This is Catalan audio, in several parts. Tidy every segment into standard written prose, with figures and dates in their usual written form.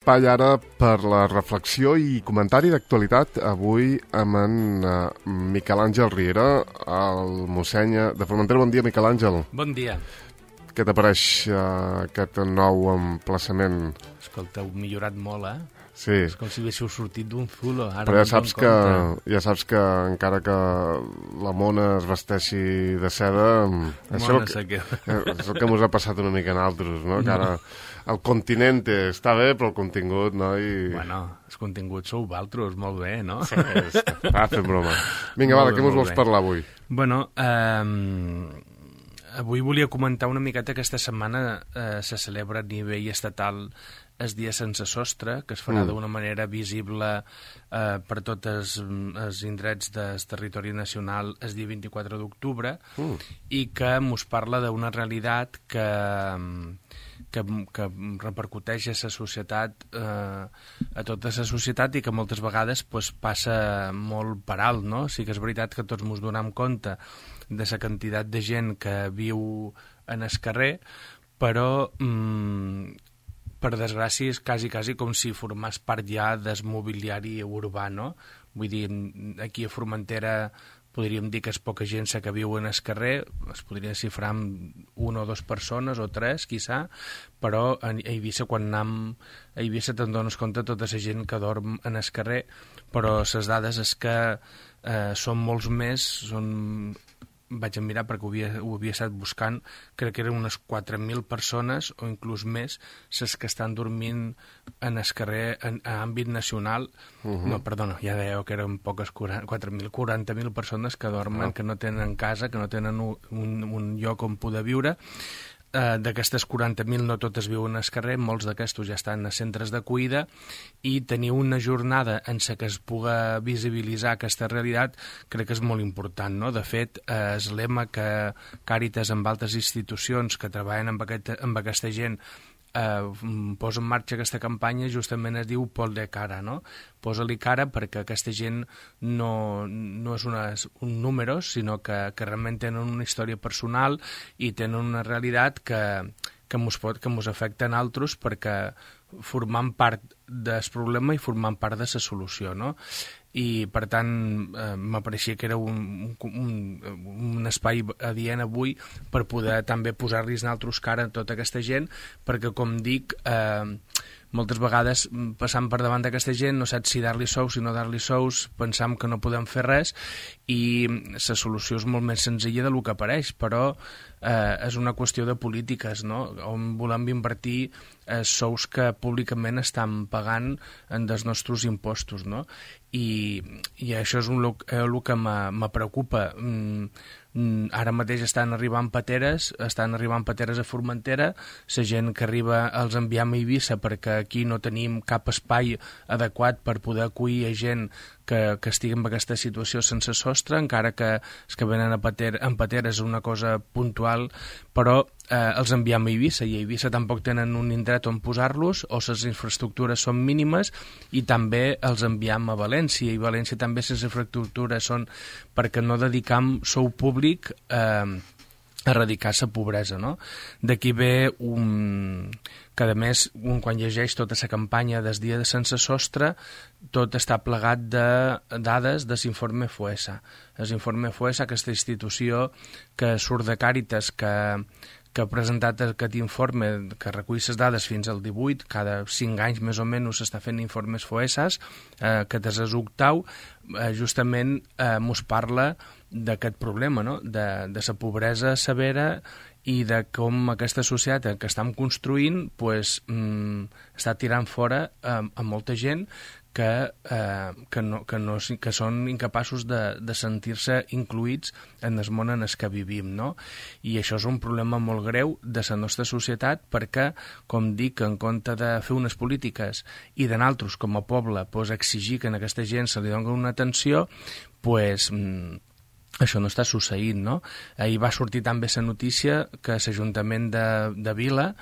Espai ara per la reflexió i comentari d'actualitat avui amb en Miquel Àngel Riera, el mossèn de Formentera. Bon dia, Miquel Àngel. Bon dia. Què t'apareix aquest nou emplaçament? Escolta, heu millorat molt, Sí. És com si haguéssiu sortit d'un zulo. Ara però ja saps que encara que la mona es vesteixi de seda, això és el que ens ha passat una mica en altres, no? Que ara el continent està bé, però el contingut, no? Bueno, els continguts sou valtros, molt bé, no? Sí, està fent broma. Vinga, va, de què ens vols parlar avui? Bueno, avui volia comentar una miqueta que aquesta setmana se celebra a nivell estatal el dia sense sostre, que es farà d'una manera visible per tots els indrets del territori nacional el dia 24 d'octubre i que mos parla d'una realitat que repercuteix a la societat, a tota la societat, i que moltes vegades passa molt per alt, no? Sí que és veritat que tots ens donem compte de la quantitat de gent que viu en el carrer, però per desgràcia és quasi com si formés part ja del mobiliari urbà, no? Vull dir, aquí a Formentera podríem dir que és poca gent que viu en el carrer, es podria xifrar amb una o dues persones, o tres, quizà, però a Eivissa, quan anem a Eivissa te'n dones compte de tota la gent que dorm en el carrer, però les dades és que són molts més, vaig a mirar perquè ho havia estat buscant, crec que eren unes 4.000 persones o inclús més les que estan dormint en el carrer a àmbit nacional. No, perdona, ja dèieu que eren poques, 4.000, 40.000 persones que dormen, que no tenen casa, que no tenen un lloc on poder viure. D'aquestes 40.000 no totes viuen al carrer, molts d'aquestos ja estan a centres d'acollida, i tenir una jornada en què es puga visibilitzar aquesta realitat crec que és molt important, no? De fet, el lema que Càritas amb altres institucions que treballen amb aquesta gent posa en marxa aquesta campanya, justament es diu Pol de cara, no? Posa-li cara perquè aquesta gent no és un número, sinó que realment tenen una història personal i tenen una realitat que mos afecta a nosaltres, perquè formant part del problema i formant part de la solució, no? I per tant m'apareixia que era un espai adient avui per poder també posar-los nosaltres cara a tota aquesta gent, perquè com dic, moltes vegades passant per davant d'aquesta gent no saps si dar-li sous, si no dar-li sous, pensam que no podem fer res, i la solució és molt més senzilla del que apareix, però és una qüestió de polítiques, no? On volem invertir sous que públicament estan pagant dels nostres impostos, no? I això és el que me preocupa. Ara mateix estan arribant pateres a Formentera, la gent que arriba els enviem a Eivissa perquè aquí no tenim cap espai adequat per poder acollir a gent que estigui en aquesta situació sense sostre, encara que els que venen en pateres és una cosa puntual, però els enviem a Eivissa, i a Eivissa tampoc tenen un indret on posar-los, o les infraestructures són mínimes, i també els enviem a València, i València també les infraestructures són perquè no dedicam sou públic a erradicar la pobresa, no? D'aquí ve que a més, quan llegeix tota la campanya del dia de sense sostre, tot està plegat de dades de l'informe FOESA. L'informe FOESA, aquesta institució que surt de Càritas, que ha presentat aquest informe, que recull les dades fins al 18, cada 5 anys més o menys s'està fent informes FOESAs, que és l'octau, justament mos parla d'aquest problema, no? De la pobresa severa i de com aquesta societat que estem construint està tirant fora a molta gent que són incapaços de sentir-se incluïts en el món en el que vivim, no? I això és un problema molt greu de la nostra societat, perquè, com dic, en compte de fer unes polítiques i de nosaltres, com a poble, exigir que a aquesta gent se li doni una atenció, això no està succeint, no? Ahir va sortir també la notícia que l'Ajuntament de Vila,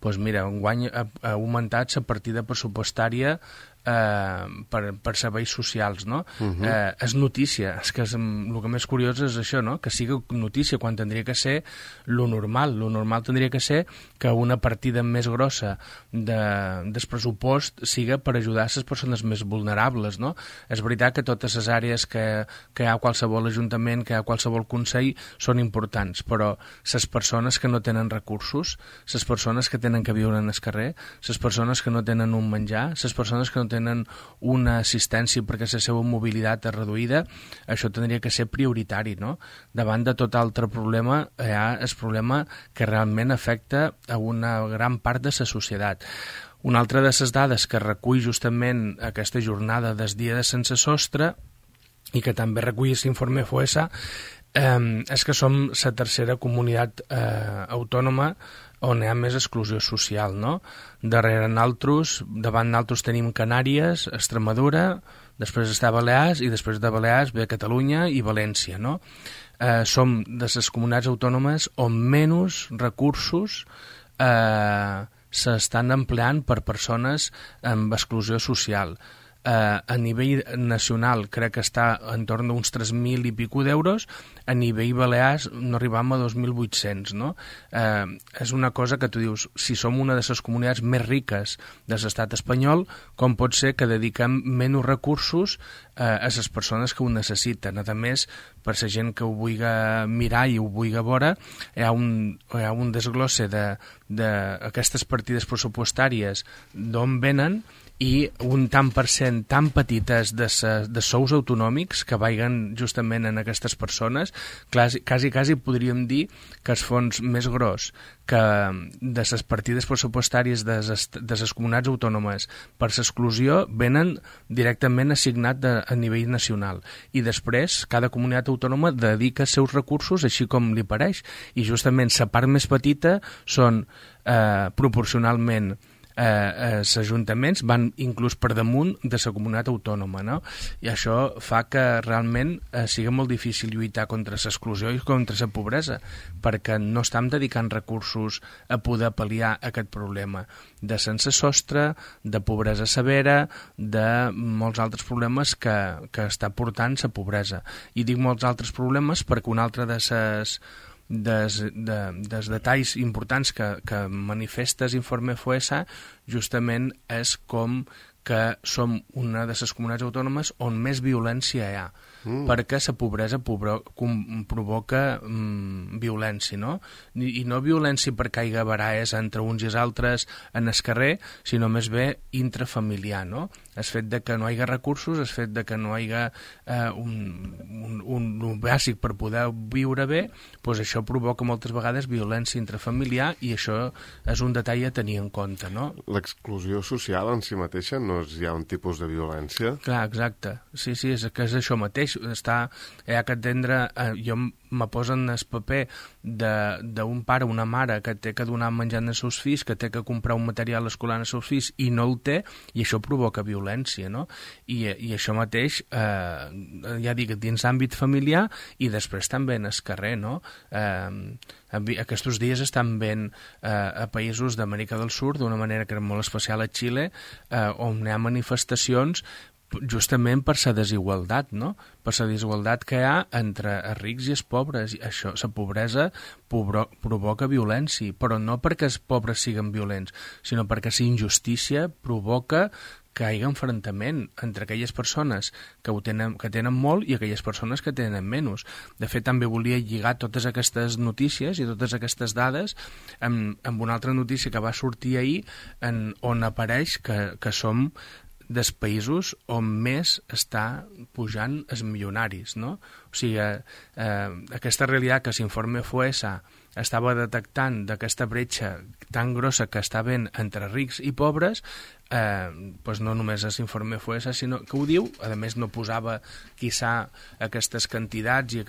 enguany ha augmentat la partida pressupostària per serveis socials, no? És notícia, és que el que més curiós és això, no? Que sigui notícia quan tindria que ser lo normal. Lo normal tindria que ser que una partida més grossa del pressupost siga per ajudar les persones més vulnerables, no? És veritat que totes les àrees que hi ha a qualsevol ajuntament, que hi ha a qualsevol consell, són importants, però les persones que no tenen recursos, les persones que tenen que viure en el carrer, les persones que no tenen un menjar, les persones que no tenen una assistència perquè la seva mobilitat és reduïda, això tindria que ser prioritari, no? Davant de tot altre problema, hi ha el problema que realment afecta a una gran part de la societat. Una altra de les dades que recull justament aquesta jornada del dia de sense sostre i que també recull l'informe FOESA és que som la tercera comunitat autònoma on hi ha més exclusió social, no? Davant nosaltres tenim Canàries, Extremadura, després està Balears i després de Balears ve Catalunya i València, no? Som de les comunitats autònomes on menys recursos s'estan empleant per persones amb exclusió social. A nivell nacional crec que està entorn d'uns 3.000 i pico d'euros, a nivell balears no arribam a 2.800, no? És una cosa que tu dius, si som una de les comunitats més riques de l'estat espanyol, com pot ser que dediquem menys recursos a les persones que ho necessiten? A més, per la gent que ho vulgui mirar i ho vulgui veure, hi ha un desglosse d'aquestes partides pressupostàries d'on venen i un tant per cent tan petites de sous autonòmics que vagin justament en aquestes persones. Quasi podríem dir que el fons més gros que de les partides pressupostàries de les comunitats autònomes per l'exclusió venen directament assignat a nivell nacional i després cada comunitat autònoma dedica els seus recursos així com li pareix i justament la part més petita són proporcionalment els ajuntaments van inclús per damunt de la comunitat autònoma, no? I això fa que realment sigui molt difícil lluitar contra l'exclusió i contra la pobresa, perquè no estem dedicant recursos a poder pal·liar aquest problema de sense sostre, de pobresa severa, de molts altres problemes que està portant la pobresa. I dic molts altres problemes perquè un altre dels detalls importants que manifesta l'informe FOESA justament és com que som una de les comunitats autònomes on més violència hi ha, perquè la pobresa provoca violència, no? I no violència perquè hi ha baralles entre uns i els altres en el carrer, sinó més bé intrafamiliar, no? El fet de que no hi ha recursos, el fet de que no hi ha un bàsic per poder viure bé, doncs això provoca moltes vegades violència intrafamiliar i això és un detall a tenir en compte, no? L'exclusió social en si mateixa no és ja un tipus de violència? Clar, exacte. Sí, és que és això mateix. Hi ha que entendre... Jo me posen el paper d'un pare o una mare que té que donar menjar als seus fills, que té que comprar un material escolar als seus fills i no el té, i això provoca violència, no? I això mateix, ja dic, dins l'àmbit familiar i després també en el carrer, no? Aquests dies estan veient a països d'Amèrica del Sud, d'una manera que era molt especial a Xile, on hi ha manifestacions justament per la desigualtat, no? Per la desigualtat que hi ha entre els rics i els pobres. Això, la pobresa provoca violència, però no perquè els pobres siguin violents, sinó perquè la injustícia provoca que hi hagi enfrontament entre aquelles persones que tenen molt i aquelles persones que tenen menys. De fet, també volia lligar totes aquestes notícies i totes aquestes dades amb una altra notícia que va sortir ahir on apareix que som dels països on més està pujant els milionaris, no? O sigui, aquesta realitat que l'informe FOESA estava detectant d'aquesta bretxa tan grossa que està havent entre rics i pobres, doncs no només l'informe FOESA, sinó que ho diu, a més no posava quizà aquestes quantitats i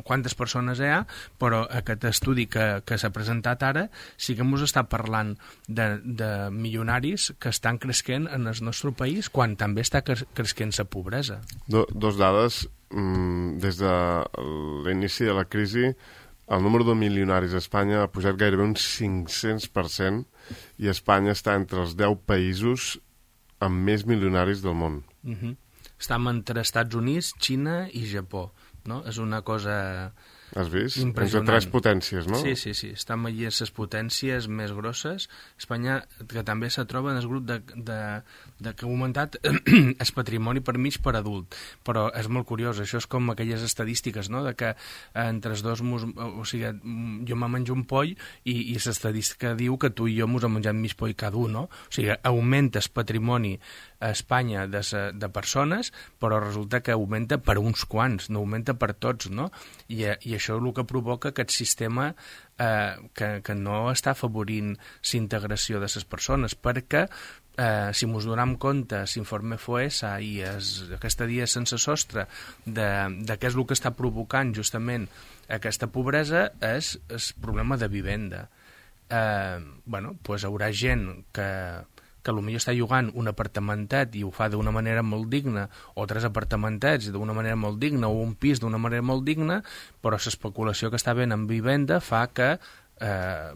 quantes persones hi ha, però aquest estudi que s'ha presentat ara sí que ens està parlant de milionaris que estan creixent en el nostre país quan també està creixent la pobresa. Dos dades. Des de l'inici de la crisi el número de milionaris a Espanya ha pujat gairebé un 500% i Espanya està entre els 10 països amb més milionaris del món. Estem entre Estats Units, Xina i Japó, no? És una cosa... Has vist? Entre tres potències, no? Sí. Estan allí les potències més grosses. Espanya, que també se troba en el grup que ha augmentat el patrimoni per mig per adult. Però és molt curiós, això és com aquelles estadístiques, no?, de que entre els dos, o sigui, jo me menjo un poll i l'estadística diu que tu i jo mos hem menjat mig poll cada un, no? O sigui, augmenta el patrimoni a Espanya de persones, però resulta que augmenta per uns quants, no augmenta per tots, no? I això és el que provoca aquest sistema que no està afavorint l'integració de les persones, perquè si ens donem compte, l'informe FOESA i aquesta dia sense sostre de què és el que està provocant justament aquesta pobresa és el problema de vivenda. Doncs haurà gent que potser està llogant un apartamentet i ho fa d'una manera molt digna, o 3 apartamentets d'una manera molt digna, o un pis d'una manera molt digna, però l'especulació que està havent en vivenda fa que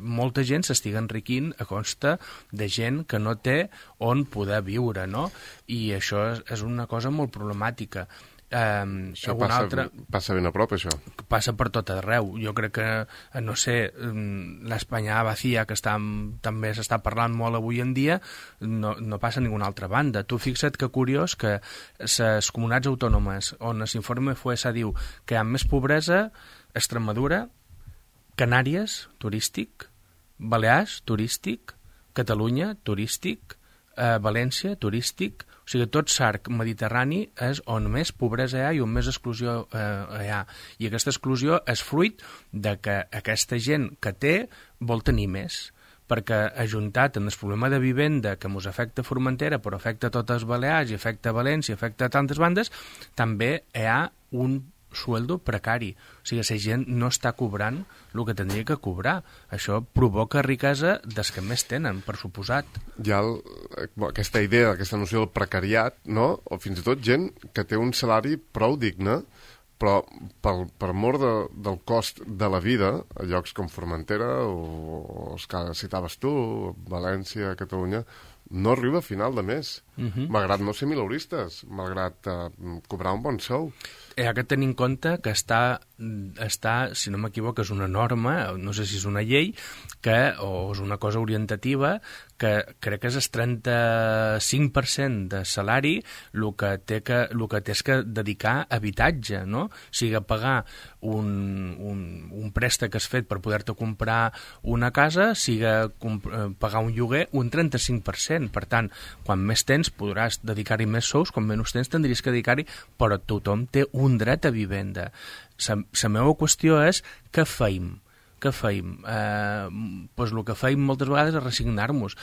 molta gent s'estigui enriquint a costa de gent que no té on poder viure, no? I això és una cosa molt problemàtica. Això passa ben a prop, això. Passa per tot arreu. Jo crec que, no sé, l'Espanya vacía, que també s'està parlant molt avui en dia, no passa a ninguna altra banda. Tu fixa't que curiós que les comunitats autònomes on l'informe FOESA diu que hi ha més pobresa, Extremadura, Canàries, turístic, Balears, turístic, Catalunya, turístic, València, turístic. O sigui, tot l'arc mediterrani és on més pobresa hi ha i on més exclusió hi ha. I aquesta exclusió és fruit de que aquesta gent que té vol tenir més, perquè ajuntat en el problema de vivenda que ens afecta Formentera, però afecta totes les Balears i afecta València, afecta tantes bandes, també hi ha un sueldo precari. O sigui, la gent no està cobrant el que tindria que cobrar. Això provoca riquesa dels que més tenen, per suposat. Hi ha aquesta idea, aquesta noció del precariat, no? O fins i tot gent que té un salari prou digne, però per mort del cost de la vida, a llocs com Formentera o els que citaves tu, València, Catalunya, no arriba a final de mes, malgrat no ser mileuristes, malgrat cobrar un bon sou. Hi ha que tenir en compte que està, si no m'equivoco, és una norma, no sé si és una llei, o és una cosa orientativa, que crec que és el 35% de salari el que té que dedicar a habitatge, no? O sigui, a pagar un préstec que has fet per poder-te comprar una casa, sigui pagar un lloguer, un 35%. Per tant, quan més tens podràs dedicar-hi més sous, quan menys tens tindries que dedicar-hi, però tothom té un dret a vivenda. La meva qüestió és què feim? Què feim? Doncs el que feim moltes vegades és resignar-nos.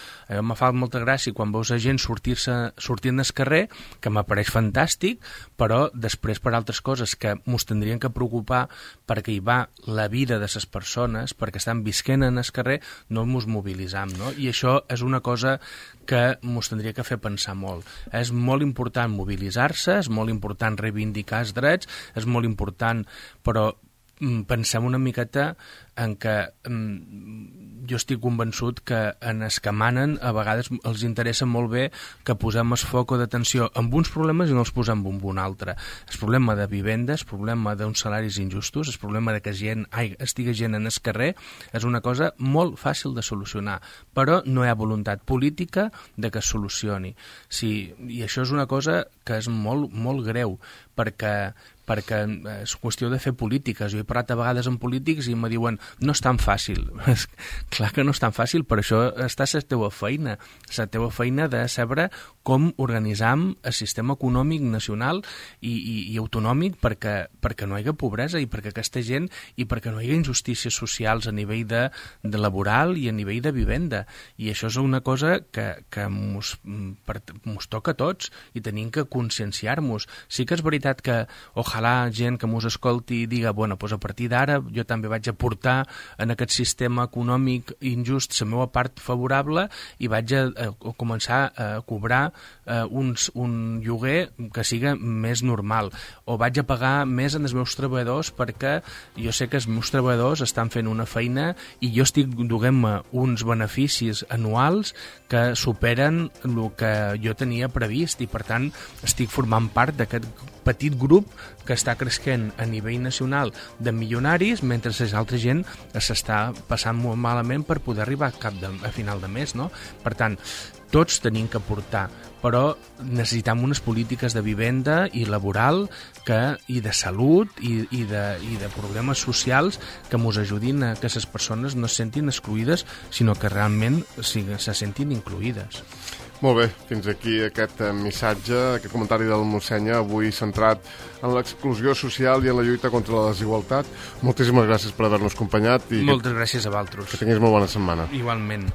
Me fa molta gràcia quan veus a gent sortint al carrer, que m'apareix fantàstic, però després per altres coses que ens tindrien que preocupar perquè hi va la vida de les persones, perquè estan visquent en el carrer, no ens mobilitzam, no? I això és una cosa que ens tindria que fer pensar molt. És molt important mobilitzar-se, és molt important reivindicar els drets, és molt important, però pensem una miqueta en què jo estic convençut que en els que manen a vegades els interessa molt bé que posem el foc d'atenció amb uns problemes i no els posem amb un altre. El problema de vivenda, el problema d'uns salaris injustos, el problema de que estigui gent en el carrer és una cosa molt fàcil de solucionar, però no hi ha voluntat política de que es solucioni. I això és una cosa que és molt, molt greu, perquè és qüestió de fer polítiques. Jo he parlat a vegades amb polítics i em diuen no és tan fàcil. Clar que no és tan fàcil, per això està la teva feina de saber com organitzam el sistema econòmic nacional i autonòmic perquè no hi hagi pobresa i perquè aquesta gent i perquè no hi hagi injustícies socials a nivell de laboral i a nivell de vivenda. I això és una cosa que mos toca a tots i tenim que conscienciar-nos. Sí que és veritat que ojalà gent que mos escolti i diga, bueno, doncs a partir d'ara jo també vaig aportar en aquest sistema econòmic injust la meva part favorable i vaig a començar a cobrar un lloguer que siga més normal, o vaig a pagar més en els meus treballadors perquè jo sé que els meus treballadors estan fent una feina i jo estic duent-me uns beneficis anuals que superen el que jo tenia previst, i per tant estic formant part d'aquest petit grup que està creixent a nivell nacional de milionaris, mentre la altra gent s'està passant molt malament per poder arribar a final de mes, no? Per tant, tots tenim que aportar, però necessitem unes polítiques de vivenda i laboral i de salut i de problemes socials que ens ajudin a que les persones no se sentin excluïdes, sinó que realment se sentin incluïdes. Molt bé, fins aquí aquest missatge, aquest comentari del mossèn, avui centrat en l'exclusió social i en la lluita contra la desigualtat. Moltíssimes gràcies per haver-nos acompanyat. Moltes gràcies a vosaltres. Que tinguis molt bona setmana. Igualment.